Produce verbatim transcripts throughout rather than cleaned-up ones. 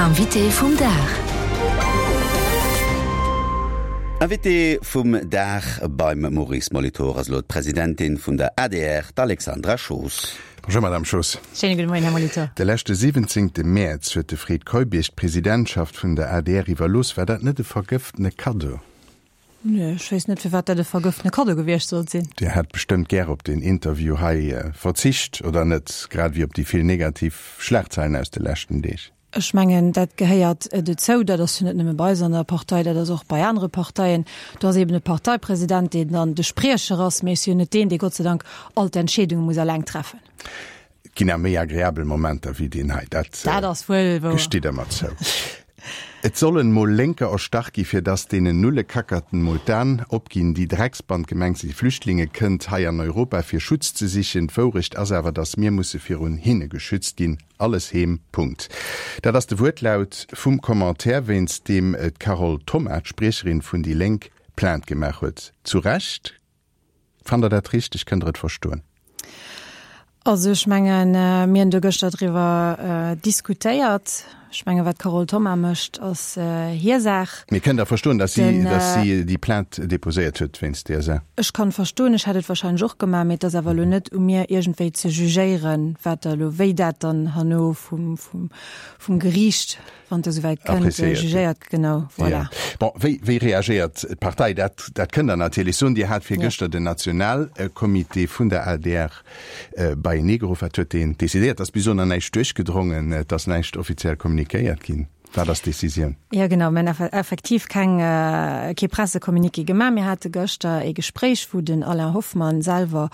Invité vum Dag. Invité vum Dag beim Maurice Molitor ass elo d'Presidentin vun der adr, d'Alexandra Schoos. Bonjour Madame Schoos. Schéine gudde Moien, Här Molitor. De leschte siwwenzéngte Mäerz huet de Fred Keup Iech d'Presidentschaft vun der adr iwwerlooss. War dat net e vergëftene Kaddo? Nee, ech weess net, firwat dat e vergëftene Kaddo gewiescht sollt sinn. Dir hätt bestëmmt gär op deen Interview hei verzicht, oder net? Grad ewéi op déi vill negativ Schlagzeilen aus de leschten Deeg. Ech mengen, dat gehéiert dozou. Dat ass jo net nëmme bei eis an der Partei, dat ass och bei anere Parteien. Do ass eben e Parteipresident, deen dann de Spriecher ass, mee ech si jo net deen, dee Gott sei Dank all d'Entscheedunge muss eleng treffen. Et ginn awer méi agreabel Momenter wéi deen hei, dat Dat ass wuel wouer. gestitt Der mer zou. Et sollen mol Lénker erstach gi fir dass deenen Nullekackerten mol d'Aan opginn. Déi Drecksband, gemengt si Flüchtlinge, kënnt hei an Europa fir Schutz ze sichen. D'Wourecht ass awer dass mir musse virun hinne geschützt ginn. Alles heem. Punkt. Dat ass de Wuertlaut vum Commentaire wéinst deem d'Carole Thoma, d'Spriecherin vun déi Lénk, Plainte gemaach huet. Zu Recht? Fannt der dat richteg? Kënnt der et verstoen? Also ech mengen, mir hunn do gëschter driwwer diskutéiert. Ech mengen, wat d'Carole Thoma mécht, ass hir Saach. Mee kënnt Der verstoen, datt si, datt si déi Plainte déposéiert huet wéinst där Saach? Ech kann verstoen, ech hätt et wahrscheinlech och gemaach, mee et ass awer elo net u mir iergendwéi ze jugéieren, wat da elo, wéi dat dann herno vum, vum, vum Geriicht, wann et esouwäit kënnt, jugéiert gëtt. Genau, voilà. Bon, wéi, wéi reagéiert d'Partei? Dat, dat kënnt Der natierlech soen. Dir hat virgëschter den Nationalcomité vun der adr beienee geruff. Wat huet deen decidéiert? Et ass bis elo nach näischt duerchgedrongen, et ass näischt offiziell kommunikéiert ginn. Wat ass d'Decisioun? Jo, genau, mir hunn effektiv keng, kee Pressecommuniqué gemaach. Mir hate gëschter ee Gespréich, wou den Alain Hoffmann selwer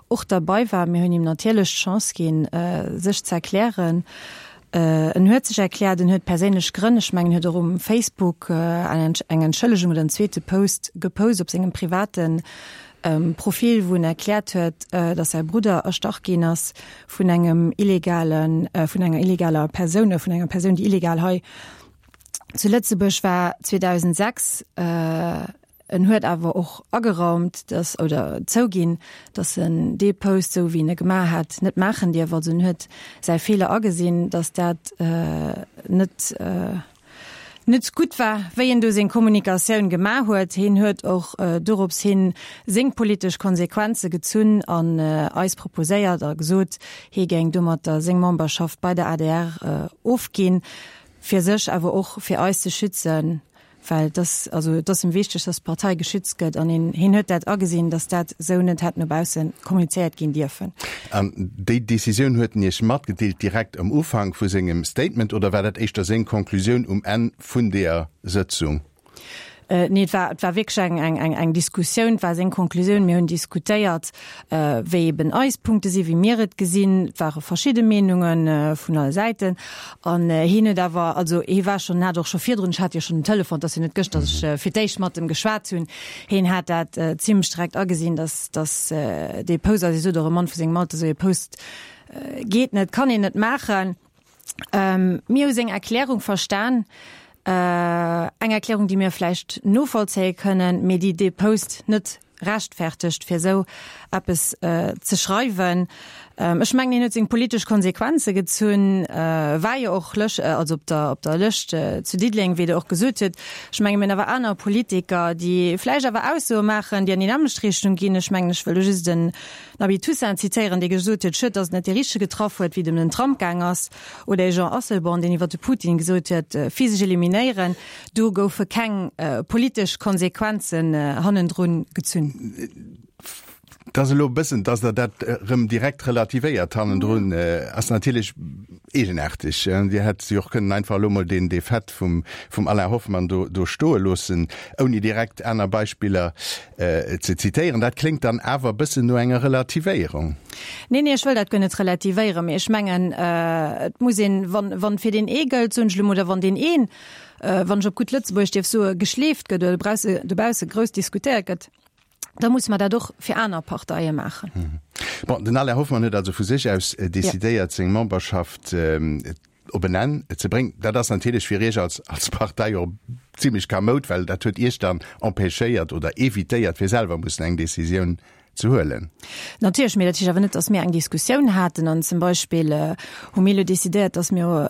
och derbei war. Mir hunn him natierlech d'Chance ginn, sech ze erklären. En huet sech erkläert, en huet perséinlech Grënn, ech mengen, en huet och um Facebook eng Entschëllegung oder en zweete Post gepost op sengem private Profil, wou en erkläert huet, datt säi Brudder erstach ginn ass vun engem illegalen, vun enger illegaler Persoun oder vun enger Persoun, déi illegal hei zu Lëtzebuerg war zweedausendsechs. En huet awer och ageraumt, dass, oder zouginn, dass en dee Post, esou wéi en e gemaach hat, net maachen dierf. Also en huet säi Feeler agesinn, dass dat net net gutt war, wéi en do seng Kommunikatioun gemaach huet. Hien huet och dorops hin seng politesch Konsequenze gezunn an eis proposéiert a gesot, hie géing domatter seng Memberschaft bei der adr ofginn, fir sech, awer och fir eis ze schützen. Well et ass, also et ass em wichteg, dass d'Partei geschützt gëtt an hien, hien huet dat agesinn, dass dat esou net hätt no bausse kommunizéiert ginn dierfen. An déi Decisioun huet en Iech matgedeelt direkt am Ufank vu sengem Statement oder war dat éischter seng Conclusioun um Enn vun deeër Sëtzung? Nee, et war, et war wierklech eng, eng, eng, eng Diskussioun, et war seng Conclusioun. Mir hunn diskutéiert, wéi eben eis Punkte sinn, wéi mir et gesinn. Et ware verschidde Meenunge vun alle Säiten. An hien huet awer, also hie war schonn, en hat och scho virdrun, ech hat jo schonn um Telefon, et ass jo net gëscht, datt ech fir d'éischt mat em geschwat hunn, hien hat dat zimlech direkt agesinn, datt, datt dee Post, also hie sot och, e Mann vu sengem Alter, esou ee Post geet net, kann een net maachen. Mir hu seng Erklärung verstan, eng Erklärung, déi mir vläicht novollzéie kënnen, mee déi dee Post net rechtfertegt, fir esou eppes ze schreiwen. Ech mengen, hien huet seng politesch Konsequenze gezunn, war jo och lësch, also op der, op der Lëscht zu Diddeleng, wéi Der och gesot hutt. Ech menge mir hunn awer aner Politiker, déi vläicht awer Aussoe maachen, déi an déi nämmlecht Richtung ginn. Ech mengen, ech wëll do just den Nabi Toussaint zitéieren, dee gesot huet, Schued, datt et net dee Richtege getraff huet, wéi et ëm den Trump gaang ass. Oder ee Jean Asselborn, deen iwwer de Putin gesot huet, physesch eliminéieren. Do goufe keng politesch Konsequenzen hannendrun gezunn. Et ass elo e bëssen, dass Der dat erëm direkt relativéiert hannendrun, ass natierlech eegenaarteg. Dir hätt jo och kënnen einfach elo mol deen Fait vum Alain Hoffmann do do stoe loossen, ouni direkt aner Beispiller ze zitéieren. Dat kléngt dann awer e bëssen no enger Relativéierung. Nee, nee, ech wëll dat guer net relativéieren, mee ech mengen, et muss een, wann, wann fir deen ee gëllt, soen ech elo mol, oder wann deen een, wann ech op gutt Lëtzebuergesch dierf soen, geschleeft gëtt oder dobausse, dobausse grouss diskutéiert gëtt, da musse mer dat och fir aner Parteie maachen. Bon, den Alain Hoffmann huet also vu sech aus decidéiert, seng Memberschaft op en Enn ze bréngen. Dat ass natierlech fir Iech als, als Partei och zimlech kamoud, well dat huet Iech dann empêchéiert oder evitéiert, fir selwer mussen eng Decisioun ze huelen. Natierlech, mee dat heescht awer net, datt mir eng Diskussioun haten. An zum Beispill hu mir elo decidéiert, datt mir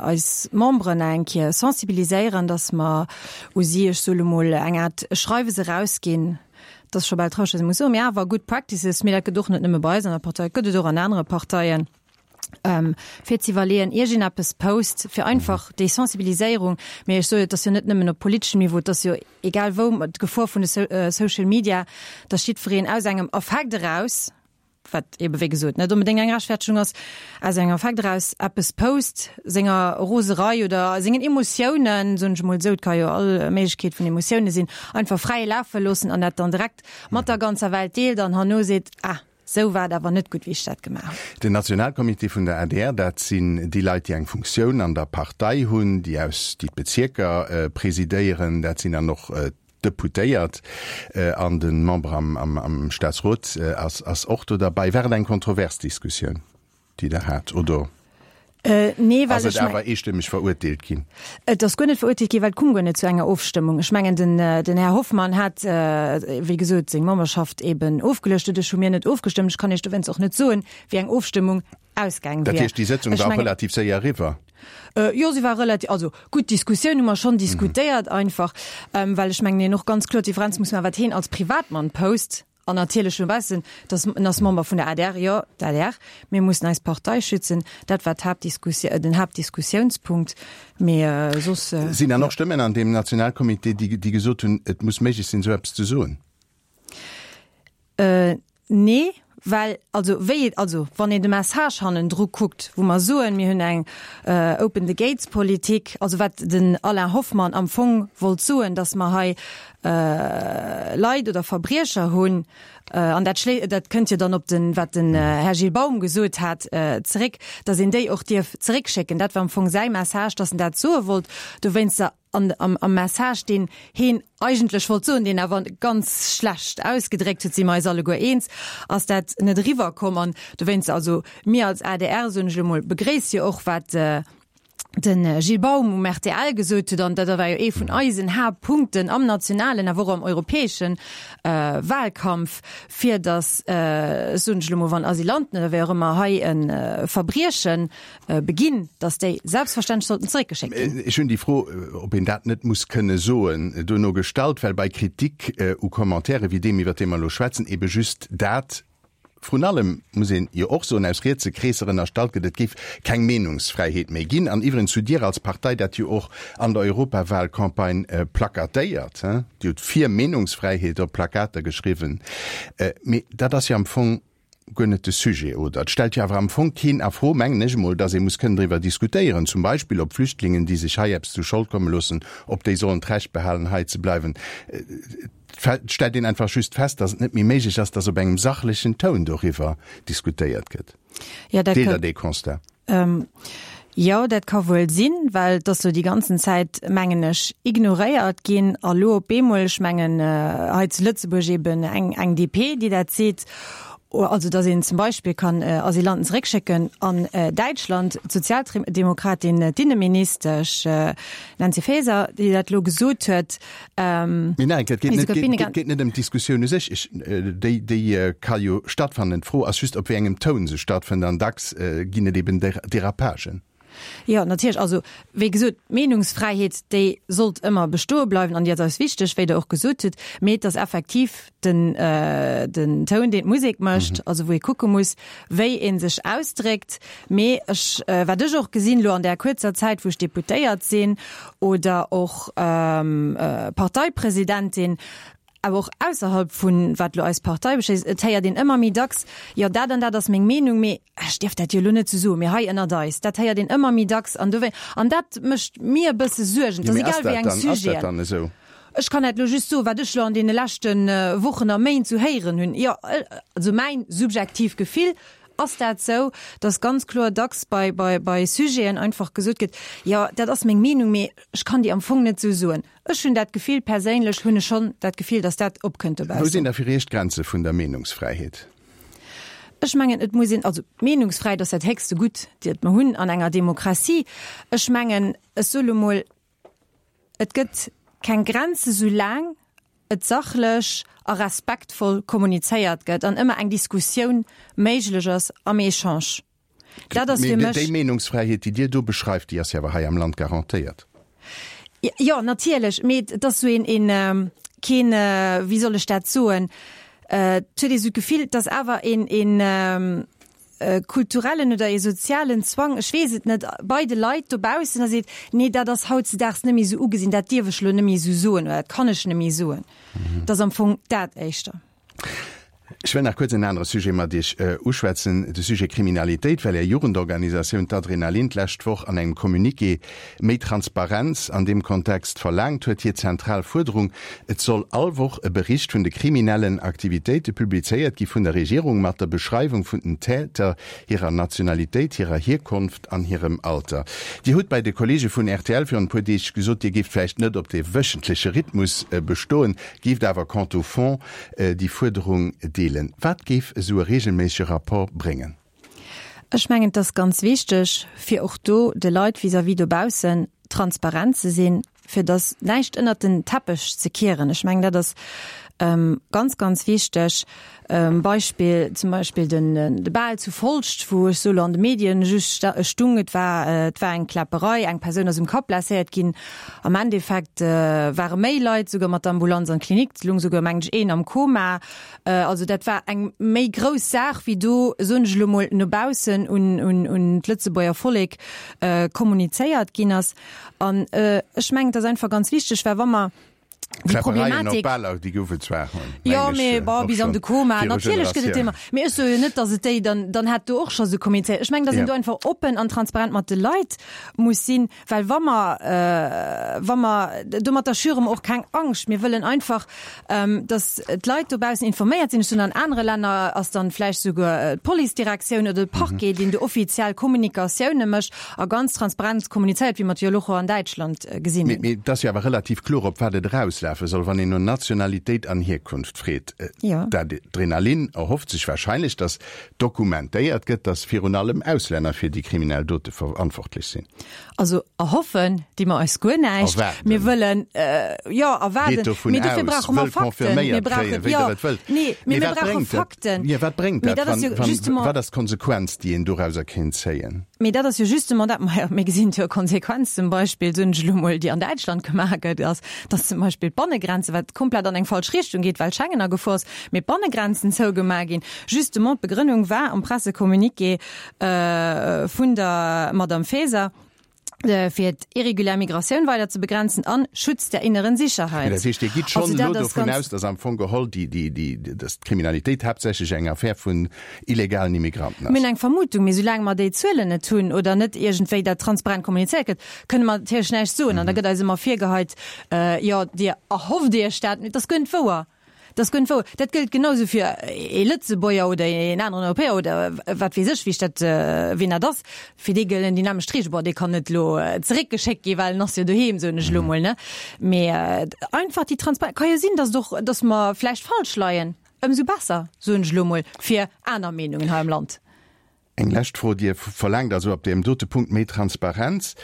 eis Memberen eng Kéier sensibiliséieren, datt mer u si, ech soe lo mol, eng Aart Schreiwes erausginn, dat ass scho bal traureg, datt ee muss soen, mee awer good practices, mee dat gëtt och net nëmme bei eis an der Partei, gëtt et och an anere Parteien, fir ze iwwerleeën, ier een eppes post, fir einfach déi Sensibiliséierung, mee ech soe jo, et ass jo net nëmmen op politeschem Niveau, et ass jo egal wou, d'Gefor vun de Social Media, dass jiddwereen aus engem Affekt eraus, wat ebe wéi gesot net onbedéngt eng Rechtfertegung ass, aus engem Affekt eraus eppes post, senger Roserei oder sengen Emotiounen, soen ech emol esou, et ka jo all Méiglechkeet vun Emotioune sinn, einfach fräie Laf wëll loossen an dat dann direkt mat der ganzer Welt deelt an herno seet, ah, sou war et awer net gutt, wéi ech dat gemaach hunn. Den Nationalcomité vun der adr, dat sinn déi Leit, déi eng Funktioun an der Partei hunn, déi aus, déi d'Bezierker presidéieren, dat sinn dann och d'Deputéiert an de Member am, am, am Staatsrot ass, ass och do derbäi. War et eng kontrovers Diskussioun, déi Der hat, oder? Äh, nee, well Ass et ech awer eestëmmeg verurteelt ginn? Et ass guer net verurteelt ginn, well et koum guer net zu enger Ofstëmmung. Ech mengen, den, den Här Hoffmann hat, wéi gesot, seng Memberschaft eben ofgeluecht. Doduerch hu mir net ofgestëmmt. Ech kann Iech dowéinst och net soen, wéi eng Ofstëmmung ausgaang Dat wier. heescht, déi Sëtzung Ech war mengen, relativ séier eriwwer? Äh, jo, si war relativ, also gutt, d'Diskussioun hu mer schonn diskutéiert einfach, ähm, well ech mengen, een och ganz kloer d'Differenz muss maachen, wat heen als Privatmann post, An natierlech no baussen, dass en ass Member vun der adr, jo, d'ADR, mir mussen eis Partei schützen, dat war d'Haaptdiskussi-, den Haaptdiskussiounspunkt, mee soss, Sinn dann jo. och Stëmmen an deem Nationalcomité, déi, déi gesot hunn, et muss méiglech sinn, esou eppes ze soen? Nee, well, also wéi et, also wann een de Message hannendru kuckt, wou mer soen, mir hunn eng Open the Gates Politik, also wat den Alain Hoffmann am Fong wollt soen, datt mer hei Leit oder Verbriecher hunn, an dat schlé, dat kënnt jo dann op den, wat den Här Gilles Baum gesot hat, zeréck, datt een déi och dierf zeréckschécken. Dat war am Fong säi Message, datt en dat soe wollt. Dowéinster an am, am Message, deen heen eigentlech wollt soen, deen awer ganz schlecht ausgedréckt huet, si mer eis alleguer eens, ass dat net eriwwerkomm. An dowéinster, also mir als adr, soen ech elo mol, begréisse jo och, wat de Gilles Baum um rtl gesot huet, an dat war jo ee vun eisen Haaptpunkten am nationalen, awer och am europäesche Wahlkampf, fir datt, soen ech elo mol, wann Asylanten oder wéi och ëmmer hei e Verbrieche beginn, datt déi selbstverständlech sollten zeréckgeschéckt ginn. Ech hunn déi Fro, ob een dat net muss kënne soen, duerno gestallt, well bei Kritik u Commentaire wéi deem, iwwert dee mer elo schwätzen, ebe just dat Vrun allem muss een jo och soen, aus rietse Kreesser ënnerstallt gëtt, et géif keng Meenungsfräiheet méi ginn. An iwwerens hutt Dir als Partei dat jo och an der Europawahlcampagne plakatéiert. Dir hutt fir Meenungsfräiheet op Plakater geschriwwen. Mee dat ass jo am Fong guer net de Sujet, oder? Et stellt jo awer am Fong keen a Fro, mengen ech emol, datt ee muss kënnen driwwer diskutéieren, zum Beispill ob Flüchtlingen, déi sech hei eppes zu Schold komme loossen, ob déi sollen d'Recht behalen, hei ze bleiwen. Et stellt een einfach just fest, datt et net méi méiglech ass, datt op engem sachlechen Toun doriwwer diskutéiert gëtt. Ja, dat Deelt ka, Der dee Constat? Ähm, jo, dat ka wuel sinn, well et ass lo déi ganzen Zäit, mengen ech, ignoréiert ginn. A lo op eemol, ech mengen, hei zu Lëtzebuerg eben eng, eng DP, déi dat seet, also datt een zum Beispill kann Asylanten zeréckschécken an Däitschland, d'Sozialdemokratin, d'Inneministesch Nancy Faeser, déi dat lo gesot huet. Mee nein, et geet net, et geet net ëm d'Diskussioun u sech. Ech, déi, déi ka jo stattfannen. D'Fro ass just, op wéi engem Toun se stattfënnt, an dacks ginn et eben Derapagen. Jo, natierlech. Also, wéi gesot, d'Meenungsfräiheet, déi sollt ëmmer bestoe bleiwen an déi ass eis wichteg, wéi Der och gesot hutt. Mee et ass effektiv den, den Toun, deen d'Musek mécht, also wou ee kucke muss, wéi ee sech ausdréckt. Mee ech, wat ech och gesinn elo an där kuerzer Zäit, wou ech Deputéiert sinn oder och Parteipresidentin, awer och ausserhalb vun wat elo eis Partei beschléisst, et héiert een ëmmer méi dacks, jo dat an dat ass meng Meenung, mee ech dierf dat jo elo net esou soen, mee hei ënnert eis, dat héiert een ëmmer méi dacks an dowéi, an dat mécht mir e bësse Suergen. Et Jo, ass mee ass egal wéi dat eng dann, ass dat Sujeten. dann esou? Ech kann dat elo just soen, wat ech elo an deene leschte Wochen a Méint esou héieren hunn. Jo, also mäin subjektiivt Gefill ass dat esou, datt ganz kloer dacks bei, bei, bei Sujeten einfach gesot gëtt, jo dat ass meng Meenung, mee ech kann déi am Fong net esou soen. Ech hunn dat Gefill, perséinlech hunn ech schonn dat Gefill, datt dat opkënnt Wou dobaussen. sinn da fir Iech d'Grenze vun der Meenungsfräiheet? Ech mengen, et muss een, also d'Meenungsfräiheet ass dat héchste Gutt, dat mer hunn an enger Demokratie. Ech mengen, ech soe lo mol, et gëtt keng Grenze soulaang et sachlech a respektvoll kommunizéiert gëtt an ëmmer eng Diskussioun méiglech ass am Echange. Dat ass fir mech. Déi Meenungsfräiheet, déi Dir do beschreift, déi ass jo awer hei am Land garantéiert. Jo, natierlech, mee et ass esou een, een, keen, wéi soll ech dat soen, et huet ee sou d'Gefill, et ass awer een, een kulturellen oder ee sozialen Zwang, ech weess et net, bei de Leit dobaussen, a seet, nee, dat ass hautzedaags net méi esou ugesinn, dat dierf ech elo net méi esou soen oder dat kann ech net méi soen. Et ass am Fong dat éischter. Ech wëll nach kuerz en anere Sujet mat Iech uschwätzen, de Sujet Kriminalitéit, well Är Jugendorganisatioun, d'Adrenalin, d'lescht Woch an engem Communiqué méi Transparenz an deem Kontext verlaangt huet. Hir zentral Fuerderung, Et soll all Woch e Bericht vun de kriminellen Aktivitéite publizéiert gi vun der Regierung, mat der Beschreiwung vun den Täter, hirer Nationalitéit, hirer Hierkonft an hirem Alter. Dir hutt bei de Kollege vun rtl virun e puer Deeg gesot, Dir géift vläicht net op dee wöchentleche Rhythmus bestoen, géift awer quant au fond déi Fuerderung deelen. Wat géif esou e reegelméissege Rapport bréngen? Ech mengen, et ass ganz wichteg, fir och do de Leit vis-à-vis dobaussen transparent ze sinn, fir dass näischt ënnert den Teppech ze kieren. Ech mengen, dat ass ganz, ganz wichteg. Beispill, zum Beispill den de Bal zu Folscht, wou ech solo an de Medien just stung, et war et war eng Kläpperei, eng Persoun ass um Kapp blesséiert ginn. Am Endeffekt ware méi Leit souguer mat der Ambulanz an d'Klinik, et lung souguer mengen ech een am Koma. Also dat war eng méi grouss Saach wéi do, soen ech elo mol, no baussen un un un d'Lëtzebuerger Vollek kommunizéiert ginn ass. An ech mengen, et ass einfach ganz wichteg, well wa mer déi Problematik. Déi gouf et zwar, jo, mee bon, bis an de Koma, natierlech gëtt et déi, mee ech soe jo net, datt et déi dann, dann hätt do och scho sou kommunizéiert. Ech mengen, datt een do einfach oppen an transparent mat de Leit muss sinn, well wa mer, wa mer, domatter schüre mer och keng Angscht. Mir wëllen einfach, datt d'Leit dobaussen informéiert sinn. Ech soen, an anere Länner ass dann vläicht souguer d'Policedirektioun oder de Parquet, deen do offiziell Kommunikatioune mécht a ganz transparent kommunizéiert, wéi mer et jo elo och an Däitschland gesinn hunn. Mee et ass jo awer relativ kloer, op wat et erauslafe soll, wann een no Nationalitéit an Hierkunft freet. D'Adrenalin erhofft sech warscheinlech, datt dokumentéiert gëtt, datt virun allem Auslänner fir déi kriminell Dote verantwortlech sinn. Also erhoffen di mer eis guer näischt. Mir wëllen, jo, erwaarden. Mee dofir brauche mer Fakten. Mir brauchen, jo, nee, mee mir brauche Fakten. Jo, wat bréngt dat, wann, wat ass d'Konsequenz, déi een dorauser kéint zéien? Mee dat ass jo justement dat, majo, mir gesinn jo Konsequenz zum Beispill, soen ech elo mol, déi an Däitschland gemaach gëtt, ass, dass zum Beispill d'Bannegrenze, wat komplett an eng falsch Richtung geet, well Schengen a Gefor ass, mee d'Bannegrenzen zougemaach ginn. Justement, d'Begrënnung war am Pressecommuniqué vun der Madame Faeser, fir d'irregulär Migratioun weider ze begrenzen an Schutz der inneren Sicherheit. Dat heescht, Dir gitt schonn elo dovun aus, dass am Fong geholl dass d'Kriminalitéit haaptsächlech eng Affär vun illegalen Immigranten ass? Mir hunn eng Vermutung, mee soulaang mer déi Zuelen net hunn oder net iergendwéi dat transparent kommunizéiert gëtt, kënne mer natierlech näischt soen. An da gëtt eis ëmmer virgeheit, jo, Dir erhofft Iech dat. Mee et ass guer net wouer. Dat ass guer net wouer. Dat gëllt genau esou fir ee Lëtzebuerger oder een aneren Europäer oder wat weess ech, wéi ech dat, wien dat ass. Fir dee gëllen déi nämmlecht Reegelen. Bon, dee kann net elo zeréckgeschéckt ginn, well en ass jo doheem, soen ech elo mol, ne? Mee einfach déi Transparenz. Ka jo sinn, datt et och, datt mer vläicht falsch leien. Ëmsou besser, soen ech elo mol, fir aner Meenungen hei am Land. Eng lescht Fro, Dir verlaangt also op deem dote Punkt méi Transparenz.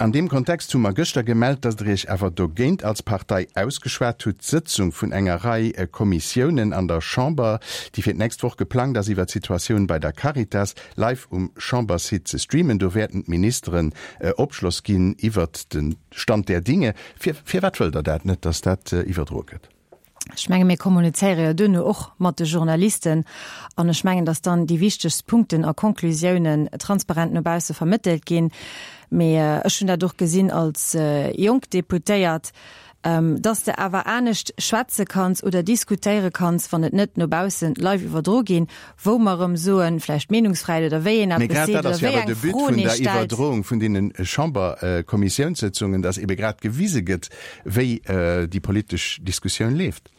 An deem Kontext hu mer gëschter gemellt, datt Der Iech awer dogéint als Partei ausgeschwat hutt, d'Sëtzung vun enger Rei Kommissiounen an der Chamber, déi fir d'nächst Woch geplangt ass, iwwer d'Situatioun bei der Caritas, live um Chambersite ze streamen. Do wäerten d'Ministeren Opschloss ginn iwwert de Stand der Dinge. Firwat wëllt Der dat net, datt dat iwwerdroe gëtt? Ech menge mir kommunizéiere jo duerno och mat de Journalisten an ech mengen, datt dann déi wichtegst Punkten a Conclusiounen transparent no bausse vermëttelt ginn. Mee ech hunn dat och gesinn als jonk Deputéiert, datt s de awer anescht schwätze kanns oder diskutéiere kanns, wann et net no bausse live iwwerdro ginn, wou mer erëm soen, vläicht d'Meenungsfräiheet oder wéi een Mee eppes grad seet dat oder ass jo wéi awer eng de But Froen vun ee der stellt. Iwwerdroung vun deene Chamberkommissiounssëtzungen, datt ebe grad gewise gëtt, wéi déi politesch Diskussioun leeft.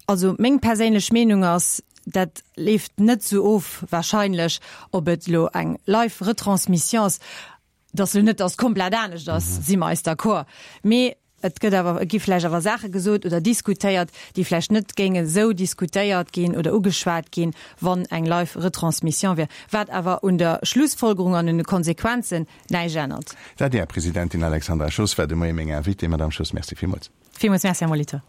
Also meng perséinlech Meenung ass, dat leeft net esou of wahrscheinlech, ob et elo eng live Retransmission ass, dass elo net dass komplett anescht ass, si mer eis d'accord. Mee et gëtt awer, et gi vläicht awer Saache gesot oder diskutéiert, déi vläicht net géinge esou diskutéiert ginn oder ugeschwat ginn, wann eng live Retransmission wier, wat awer un der Schlussfolgerung an un de Konsequenzen näischt ännert. D'ADR-Presidentin Alexandra Schoos war de Moie meng Invitée. Madame Schoos, Merci villmools. Villmools Merci, Här Molitor.